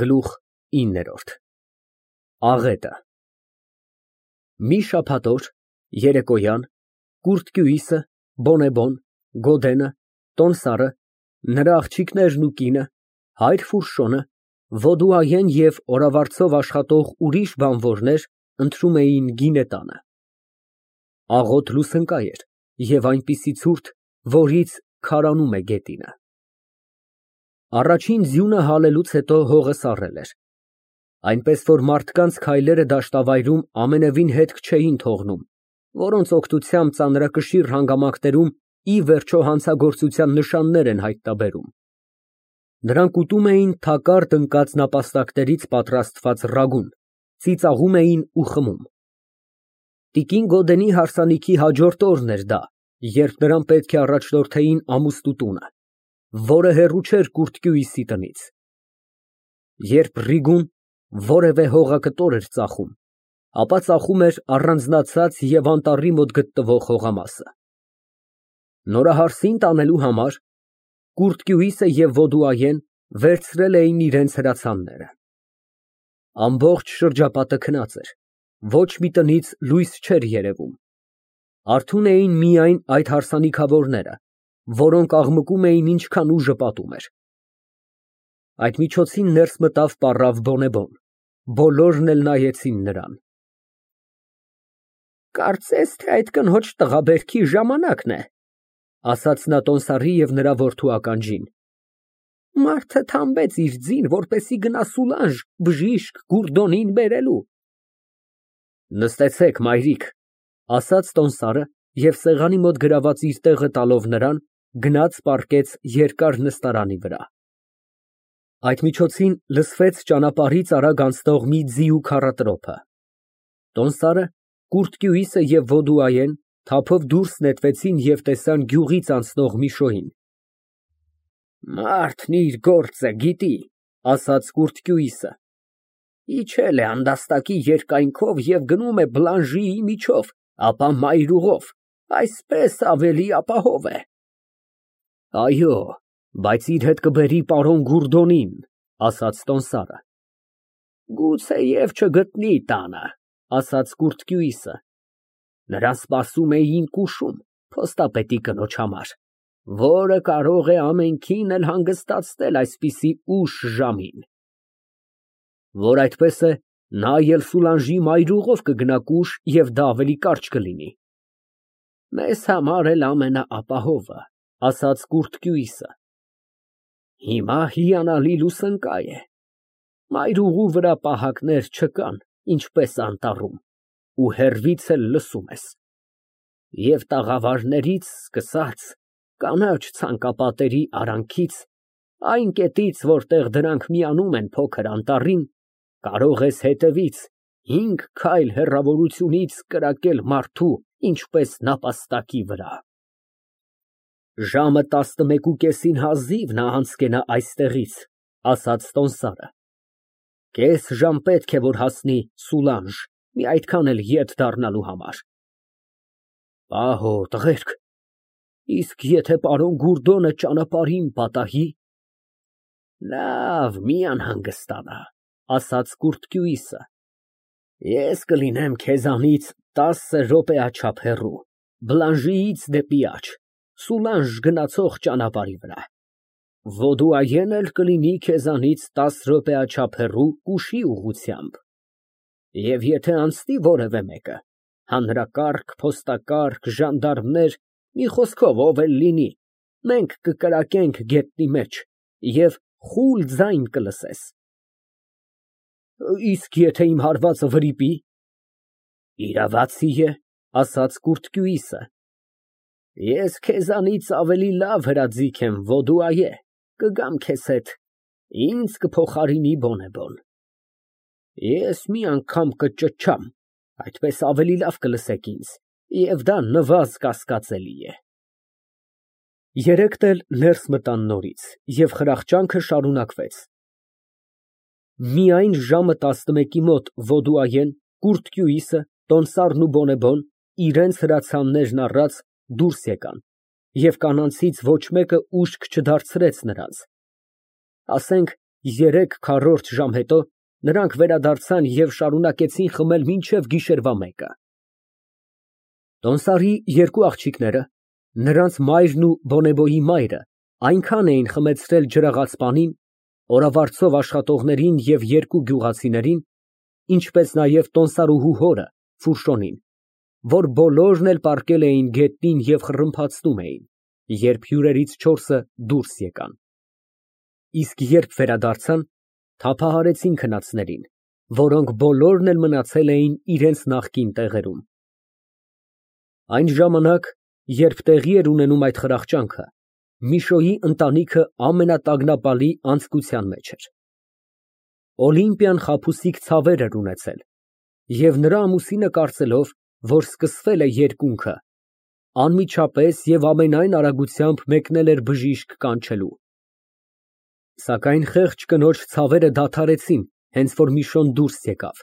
Գլուխ 9 ԱՂԵՏԸ Մի շաբաթ օր, երեկոյան, կուրթ կյուիսը, բոնեբոն, գոդենը, տոմսարը, նրա աղջիկներն ու կինը, հայր Ֆուրշոնը, Ոդուայեն և օրավարձով աշխատող ուրիշ բանվորներ ընթրում էին գինետանը։ Աղոտ լուսընկա էր և այնպիսի ցուրտ, որից քարանում է գետինը։ Առաջին ձյունը հալելուց հետո հողը սառել էր, այնպես որ մարդկանց քայլերը դաշտավայրում ամենևին հետք չէին թողնում, որոնց օգնությամբ ծանրակշիռ հանգամանքներում ի վերջո հանցագործության նշաններ են հայտնաբերում։ Նրանք ուտում էին թակարդ ընկած նապաստակներից պատրաստված ռագուն, ծիծաղում էին ու խմում։ Տիկին Գոդենի հարսանիքի հաջորդ օրն էր դա, երբ նրան պետք է առաջնորդեին ամուսնու տունը, որը հեռու չէր կուրթ կյուիսի տնից։ Երբ Ռիգուն որևէ հողակտոր էր ծախում, ապա ծախում էր առանձնացած և անտառի մոտ գտնվող հողամասը։ Նորահարսին տանելու համար կուրթ կյուիսը և Ոդուայեն վերցրել էին իրենց հրացանները։ Ամբողջ շրջապատը քնած էր, ոչ մի տնից լույս չէր երևում։ Արթուն էին միայն այդ հարսանիքավորները, որոնք աղմկում էին ինչքան ուժը պատում էր։ Այդ միջոցին ներս մտավ պառավ բոնեբոն, բոլորն էլ նայեցին նրան։ Կարծես թե այդ կնոջ տղաբերքի ժամանակն է, ասաց նա տոմսարի և նրա որդու ականջին։ Մարդը թամբեց իր ձին, որպեսզի գնա Սուլանժ բժիշկ Գուռդոնին բերելու։ Նստեցեք, մայրիկ, ասաց տոմսարը և սեղանի մոտ գրաված իր տեղը տալով նրան, գնաց պառկեց երկար նստարանի վրա։ Այդ միջոցին լսվեց ճանապարհից արագ անցնող մի ձիու քառատրոփը։ Տոմսարը, կուրթ կյուիսը և Ոդուայեն թափով դուրս նետվեցին և տեսան գյուղից անցնող մի շոյին։ Մարդն իր գործը գիտի, ասաց կուրթ կյուիսը, իջել է անդաստակի երկայնքով և գնում է Բլանժիի միջով, ապա մայրուղով, այսպես ավելի ապահով է։ Այո, բայց իր հետ կբերի պարոն Գուռդոնին, ասաց տոմսարը։ Գուցեև չգտնի տանը, ասաց կուրթ կյուիսը։ Նրան սպասում էին կուշում, փոստապետի կնոջ համար, որը կարող է ամենքին էլ հանգստացնել այսպիսի ուշ ժամին։ Որ այդպես է, նա էլ Սուլանժի մայրուղով կգնա կուշ և դա ավելի կարճ կլինի։ Մեզ համար էլ ամենաապահովը, ասաց կուրթ կյուիսը։ Հիմա հիանալի լուսանկա է։ Մայրուղու վրա պահակներ չկան, ինչպես անտառում, ու հեռվից էլ լսում ես։ Եվ տաղավարներից սկսած, կանաչ ցանկապատերի արանքից, այն կետից, որտեղ դրանք միանում են փոքր անտառին, կարող ես հետևից 5 քայլ հեռավորությունից կրակել մարդու, ինչպես նապաստակի վրա։ Ժամը 11:30-ին հազիվ նա անցկենա այստեղից, ասաց տոմսարը։ Կես ժամ պետք է, որ հասնի Սուլանժ, մի այդքան էլ ետ դառնալու համար։ Պահո, տղերք, իսկ եթե պարոն Գուռդոնը ճանապարհին պատահի։ Լավ, մի անհանգստանա, ասաց կուրթ կյուիսը։ Ես կլինեմ քեզանից 10 րոպեաչափ հեռու, Բլանժիից դեպի աջ, Սուլանժ գնացող ճանապարհի վրա։ Ոդուայեն էլ կլինի քեզանից 10 րոպեաչափ հեռու կուշի ուղղությամբ։ Եվ եթե անցնի որևէ մեկը, հանրակարգ, փոստակարգ, ժանդարմներ, մի խոսքով ով էլ լինի, մենք կկրակենք գետնի մեջ և խուլ ձայն կլսես։ Իսկ եթե իմ հարվածը վրիպի։ Իրավացի է, ասաց կուրթ կյուիսը։ Ես քեզանից ավելի լավ հրաձիգ եմ, Ոդուայե, կգամ քեզ հետ, ինձ կփոխարինի բոնեբոն։ Ես մի անգամ կճչամ, այդպես ավելի լավ կլսեք ինձ, և դա նվազ կասկածելի է։ Երեքն էլ ներս մտան նորից, և խրախճանքը շարունակվեց։ Միայն ժամը 11-ի մոտ Ոդուայեն, կուրթ կյուիսը, տոմսարն ու բոնեբոն իրենց հրացաններն առած դուրս եկան, և կանանցից ոչ մեկը ուշք չդարձրեց նրանց։ Ասենք 3/4 ժամ հետո նրանք վերադարձան և շարունակեցին խմել մինչև գիշերվա 1-ը։ Տոնդարի երկու աղջիկները, նրանց մայրն ու Բոնեբոյի մայրը այնքան էին խմեցրել ջրաղաց պանին, օրավարձով աշխատողներին և երկու գյուղացիներին, ինչպես նաև տոնդարուհու հորը Ֆուռշոնին, որ բոլորն էլ պառկել էին գետնին և խռմփացնում էին, երբ հյուրերից 4-ը դուրս եկան։ Իսկ երբ վերադարձան, թափահարեցին քնածներին, որոնք բոլորն էլ մնացել էին իրենց նախկին տեղերում։ Այն ժամանակ, երբ տեղի էր ունենում այդ խրախճանքը, Միշոյի ընտանիքը ամենատագնապալի անձկության մեջ էր։ Օլիմպիան խաբուսիկ ցավեր էր ունեցել, և նրա ամուսինը կարծելով, որ սկսվել է երկունքը, անմիջապես և ամենայն արագությամբ մեկնել էր բժիշկ կանչելու։ Սակայն խեղճ կնոջ ցավերը դադարեցին, հենց որ Միշոն դուրս եկավ,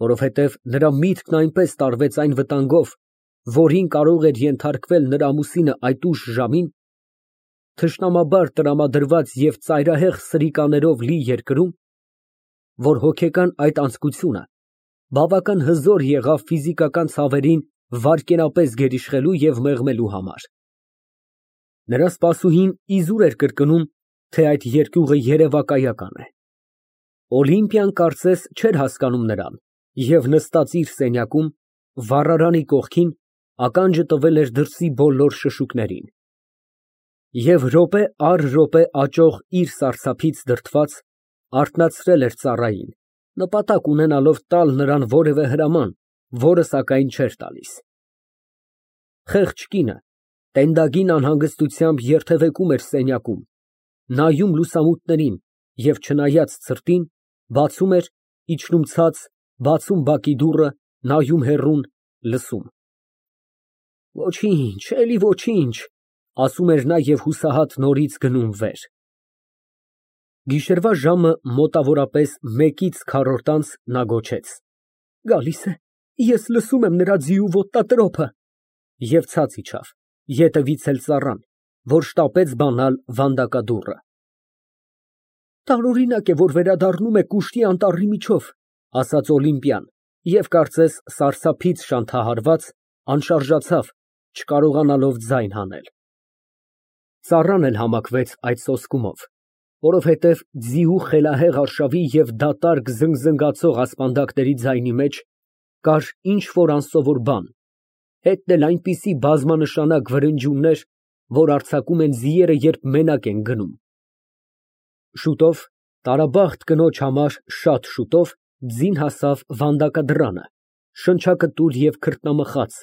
որովհետև նրա միտքն այնպես տարվեց այն վտանգով, որին կարող էր ենթարկվել նրա ամուսինը այդ ուշ ժամին, թշնամաբար տրամադրված և ծայրահեղ սրիկաներով լի երկրում, որ հոգեկան այդ անձկությունը բավական հզոր եղավ ֆիզիկական ցավերին վայրկենապես գերիշխելու և մեղմելու համար։ Նրա սպասուհին իզուր էր կրկնում, թե այդ երկյուղը երևակայական է։ Օլիմպիան կարծես չէր հասկանում նրան և նստած իր սենյակում, վառարանի կողքին, ականջը տվել էր դրսի բոլոր շշուկներին։ Եվ րոպե առ րոպե աճող իր սարսափից դրդված, արթնացրել էր ծառային, նպատակ ունենալով տալ նրան որևէ հրաման, որը սակայն չէր տալիս։ Խեղճ կինը տենդագին անհանգստությամբ երթևեկում էր սենյակում, նայում լուսամուտներին և չնայած ցրտին, բացում էր, իջնում ցած, բացում բակի դուռը, նայում հեռուն, լսում։ Ոչինչ, էլի ոչինչ, ասում էր նա և հուսահատ նորից գնում վեր։ Գիշերվա ժամը մոտավորապես 1-4 անց նա գոչեց. Գալիս է, ես լսում եմ նրա ձիու ոտնատրոփը, և ցած իջավ, ետևից էլ ծառան, որ շտապեց բանալ վանդակադուռը։ Տարօրինակ է, որ վերադառնում է կուշտի անտառի միջով, ասաց Օլիմպիան և կարծես սարսափից շանթահարված, անշարժացավ, չկարողանալով ձայն հանել։ Ծառան էլ համակվեց այդ սոսկումով, որովհետև ձիու խելահեղ արշավի և դատարկ զնգզնգացող ասպանդակների ձայնի մեջ կար ինչ֊որ անսովոր բան, հետն էլ այնպիսի բազմանշանակ վրնջյուններ, որ արձակում են ձիերը, երբ մենակ են գնում։ Շուտով, տարաբախտ կնոջ համար շատ շուտով, ձին հասավ վանդակադռանը, շնչակտուր և քրտնամխած,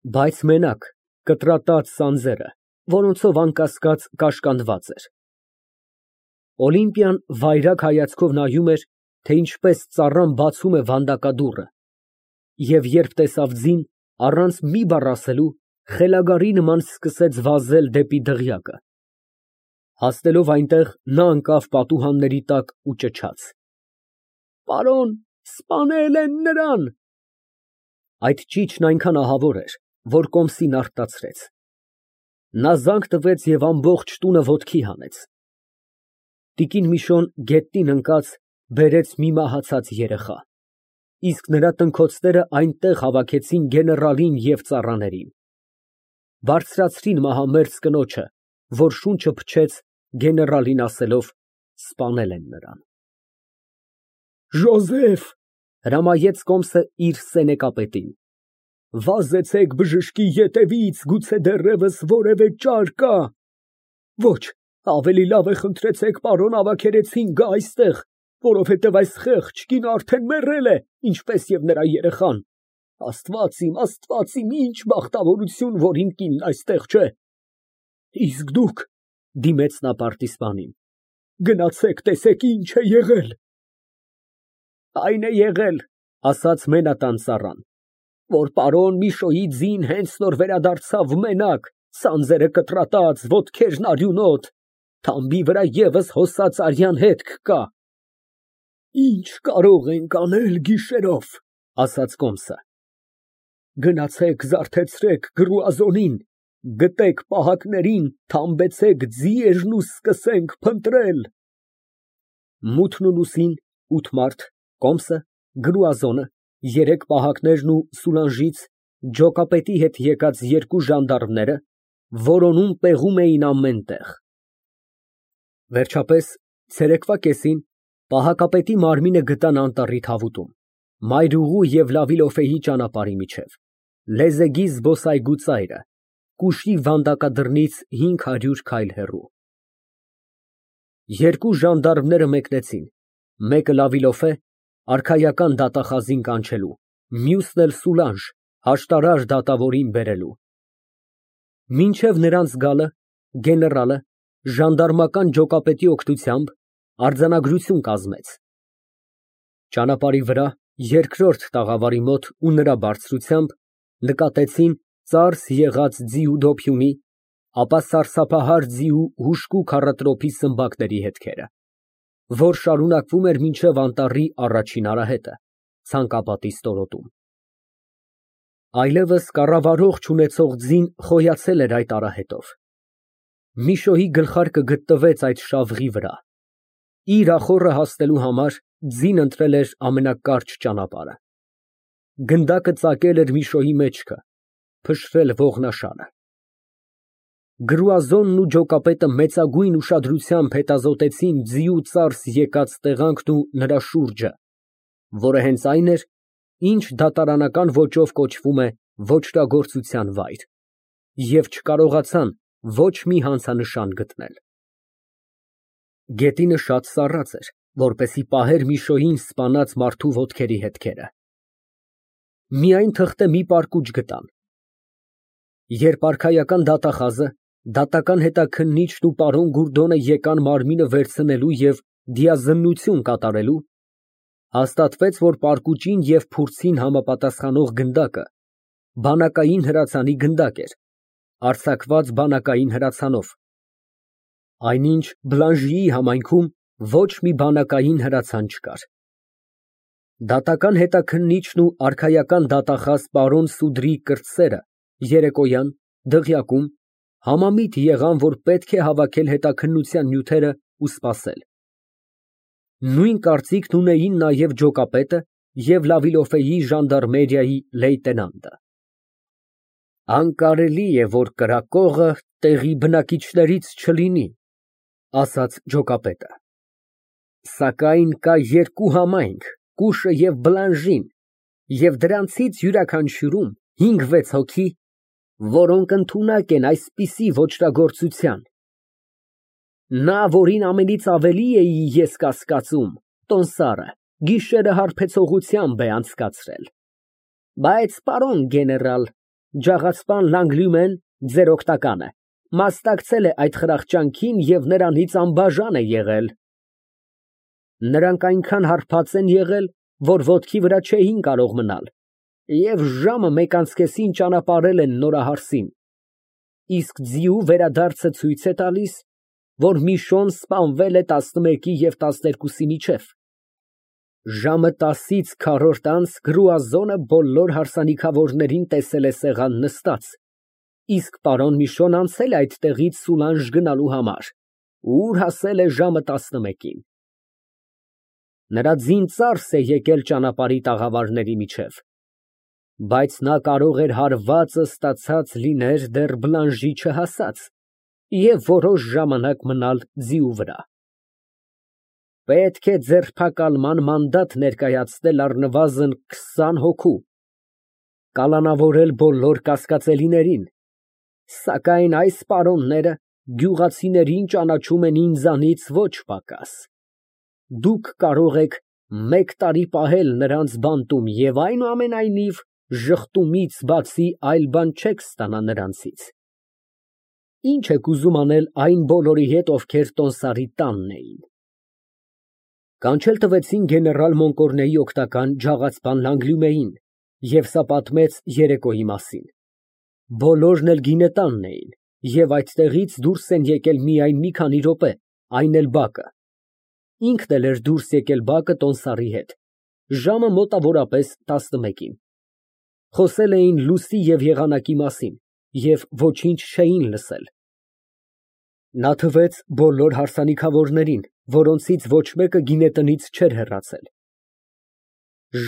բայց մենակ, կտրատած սանձերը, որոնցով անկասկած կաշկանդված էր։ Օլիմպիան վայրագ հայացքով նայում էր, թե ինչպես ծառան բացում է վանդակադուռը, և երբ տեսավ ձին, առանց մի բառ ասելու, խելագարի նման սկսեց վազել դեպի դղյակը։ Հասնելով այնտեղ, նա ընկավ պատուհանների տակ ու ճչաց. Պարոն, սպանել են նրան։ Այդ ճիչն այնքան ահավոր էր, որ կոմսին արթնացրեց։ Նա զանգ տվեց և ամբողջ տունը ոտքի հանեց։ Տիկին Միշոն գետնին ընկած բերեց մի մահացած երեխա, իսկ նրա տնքոցները այնտեղ հավաքեցին գեներալին և ծառաներին։ Բարձրացրին մահամերձ կնոջը, որ շունչը փչեց, գեներալին ասելով. սպանել են նրան։ Ժոզեֆ, հրամայեց կոմսը իր սենեկապետին, վազեցեք բժշկի ետևից, գուցե դեռևս որևէ ճար կա։ Ոչ, ավելի լավ է խնդրեցեք պարոն ավագերեցին գա այստեղ, որովհետև այս խեղճ կինը արդեն մեռել է, ինչպես և նրա երեխան։ Աստված իմ, ինչ բախտավորություն, որ իմ կինն այստեղ չէ։ Իսկ դուք, դիմեց նա պարտիզպանին, գնացեք տեսեք ինչ է եղել։ Այն է եղել, ասաց մենատան ծառան, որ պարոն Միշոյի ձին հենց նոր վերադարձավ մենակ, սանձերը կտրատած, ոտքերն արյունոտ, թամբի վրա ևս հոսած արյան հետք կա։ Ինչ կարող ենք անել գիշերով, ասաց կոմսը։ Գնացեք զարթեցրեք գրուազոնին, գտեք պահակներին, թամբեցեք ձիերն ու սկսենք փնտրել։ Մութն ու լուսին, 8 մարդ, Կոմսը, Գրուազոնը, 3 պահակներն ու Սուլանժից ջոկապետի հետ եկած 2 ժանդարմները որոնում պեղում էին ամեն տեղ։ Վերջապես, ցերեկվա կեսին պահակապետի մարմինը գտան անտառի թավուտում, Մայրուղու և Լավիլոֆեի ճանապարհի միջև, Լեզեգի զբոսայգու ծայրը, Կուշի վանդակադրնից 500 քայլ հեռու։ 2 ժանդարմները մեկնեցին, մեկը Լավիլոֆե, արքայական դատախազին կանչելու, մյուսն էլ Սուլանժ, հաշտարար դատավորին բերելու։ Մինչև նրանց գալը, գեներալը ժանդարմական ջոկապետի օգնությամբ արձանագրություն կազմեց։ Ճանապարհի վրա, երկրորդ տաղավարի մոտ ու նրա բարձրությամբ նկատեցին ծարս եղած ձիու դոփյունի, ապա սարսափահար ձիու հուժկու քառատրոփի սմբակների հետքերը, որ շարունակվում էր մինչև անտառի առաջին արահետը, ցանկապատի ստորոտում։ Այլևս կառավարող չունեցող ձին խոյացել էր այդ արահետով։ Միշոյի գլխարկը գտնվեց այդ շավղի վրա։ Իր ախոռը հասնելու համար ձին ընտրել էր ամենակարճ ճանապարհը։ Գնդակը ծակել էր Միշոյի մեջքը, փշրել ողնաշանը։ Գրուազոնն ու ջոկապետը մեծագույն ուշադրությամբ հետազոտեցին ձիու ծարս եկած տեղանքն ու նրա շուրջը, որը հենց այն էր, ինչ դատարանական ոճով կոչվում է ոճրագործության վայր, և չկարողացան ոչ մի հանցանշան գտնել։ Գետինը շատ սառած էր, որպեսզի պահեր Միշոյին սպանած մարդու ոտքերի հետքերը։ Միայն թղթե մի պարկուճ գտան։ Երբ արքայական դատախազը, դատական հետաքննիչն ու պարոն Գուրդոնը եկան մարմինը վերցնելու և դիազննություն կատարելու, հաստատվեց, որ պարկուճին և փուրձին համապատասխանող գնդակը բանակային հրացանի գնդակ էր, արձակված բանակային հրացանով, այնինչ Բլանժիի համայնքում ոչ մի բանակային հրացան չկար։ Դատական հետաքննիչն ու արքայական դատախազ պարոն Սուդրի կրտսերը երեկոյան, դղյակում, համամիտ եղան, որ պետք է հավաքել հետաքննության նյութերը ու սպասել։ Նույն կարծիքն ունեին նաև ջոկապետը և Լավիլոֆեի ժանդարմերիայի լեյտենանտը։ Անկարելի է, որ կրակողը տեղի բնակիչներից չլինի, ասաց ջոկապետը։ Սակայն կա 2 համայնք, Կուշը և Բլանժին, և դրանցից յուրաքանչյուրում 5-6 հոգի, որոնք ընդունակ են այսպիսի ոճրագործության։ Նա, որին ամենից ավելի էի ես կասկածում, տոմսարը, գիշերը հարբեցողությամբ է անցկացրել։ Բայց, պարոն գեներալ, ջաղացպան Լանգլյումեն, ձեր օգնականը, մասնակցել է այդ խրախճանքին և նրանից անբաժան է եղել։ Նրանք այնքան հարբած են եղել, որ ոտքի վրա չէին կարող մնալ, և ժամը 1:30-ին ճանապարհել են Նորահարսին, իսկ ձիու վերադարձը ցույց է տալիս, որ Միշոն սպանվել է 11-ի և 12-ի միջև։ Ժամը 10-ից քառորդ անց Գրուազոնը բոլոր հարսանիքավորներին տեսել է սեղան նստած, իսկ պարոն Միշոն անցել է այդտեղից Սուլանժ գնալու համար, ուր հասել է ժամը 11-ին։ Նրա ձին ծարս է եկել ճանապարհի տաղավարների միջև, բայց նա կարող էր հարվածը ստացած լիներ դեռ Բլանժի չհասած և որոշ ժամանակ մնալ ձիու վրա։ Պետք է ձերբակալման մանդատ ներկայացնել առնվազն 20 հոգու, կալանավորել բոլոր կասկածելիներին, սակայն այս պարոնները գյուղացիներին ճանաչում են ինձանից ոչ պակաս։ Դուք կարող եք 1 տարի պահել նրանց բանտում և այնուամենայնիվ ժխտումից բացի այլ բան չեք ստանա նրանցից։ Ինչ եք ուզում անել այն բոլորի հետ, ովքեր տոմսարի տանն էին։ Կանչել տվեցին գեներալ Մոնկորնեի օգնական ջաղացպան Լանգլյումեին, և սա պատմեց երեկոյի մասին։ Բոլորն էլ գինետանն էին, և այդտեղից դուրս են եկել միայն մի քանի րոպե, այն էլ բակը։ Ինքն էլ էր դուրս եկել բակը տոմսարի հետ, ժամը մոտավորապես 11-ին։ Խոսել էին լուսի և եղանակի մասին և ոչինչ չէին լսել։ Նա թվեց բոլոր հարսանիքավորներին, որոնցից ոչ մեկը գինետնից չէր հեռացել։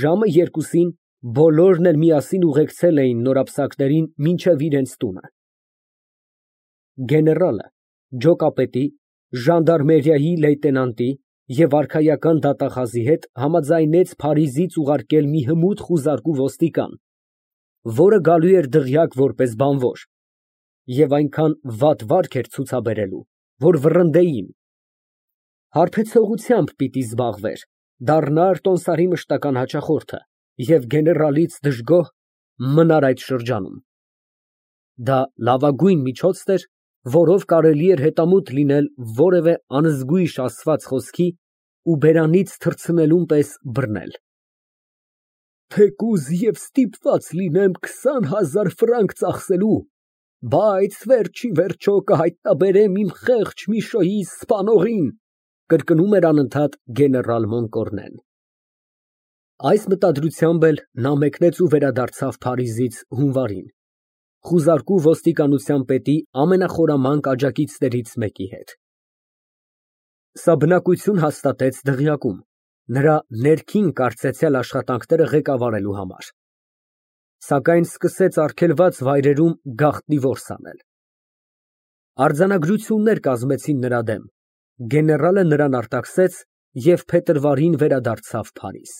Ժամը 2-ին բոլորն էլ միասին ուղեկցել էին նորապսակներին մինչև իրենց տունը։ Գեներալը, ջոկապետի, ժանդարմերիայի լեյտենանտի և արքայական դատախազի հետ համաձայնեց Փարիզից ուղարկել մի հմուտ խուզարկու ոստիկան, որը գալու էր դղյակ որպես բանվոր, և այնքան վատ վարք էր ցուցաբերելու, որ վռնդեին։ Հարբեցողությամբ պիտի զբաղվեր, դառնար տոմսարի մշտական հաճախորդը և գեներալից դժգոհ մնար այդ շրջանում։ Դա լավագույն միջոցն էր, որով կարելի էր հետամուտ լինել որևէ անզգույշ ասված խոսքի ու բերանից թռցնելուն պես բռնել։ Թեկուզ և ստիպված լինեմ 20,000 ֆրանկ ծախսելու, բայց վերջիվերջո կհայտնաբերեմ իմ խեղճ Միշոյի սպանողին, կրկնում էր անընդհատ գեներալ Մոնկորնեն։ Այս մտադրությամբ էլ նա մեկնեց ու վերադարձավ Փարիզից հունվարին, խուզարկու ոստիկանության պետի ամենախորամանկ աջակիցներից մեկի հետ։ Սա բնակություն հաստատեց դղյակում, նրա ներքին կարծեցյալ աշխատանքները ղեկավարելու համար, սակայն սկսեց արգելված վայրերում գաղտնի որս անել։ Արձանագրություններ կազմեցին նրա դեմ, գեներալը նրան արտաքսեց և փետրվարին վերադարձավ Փարիզ։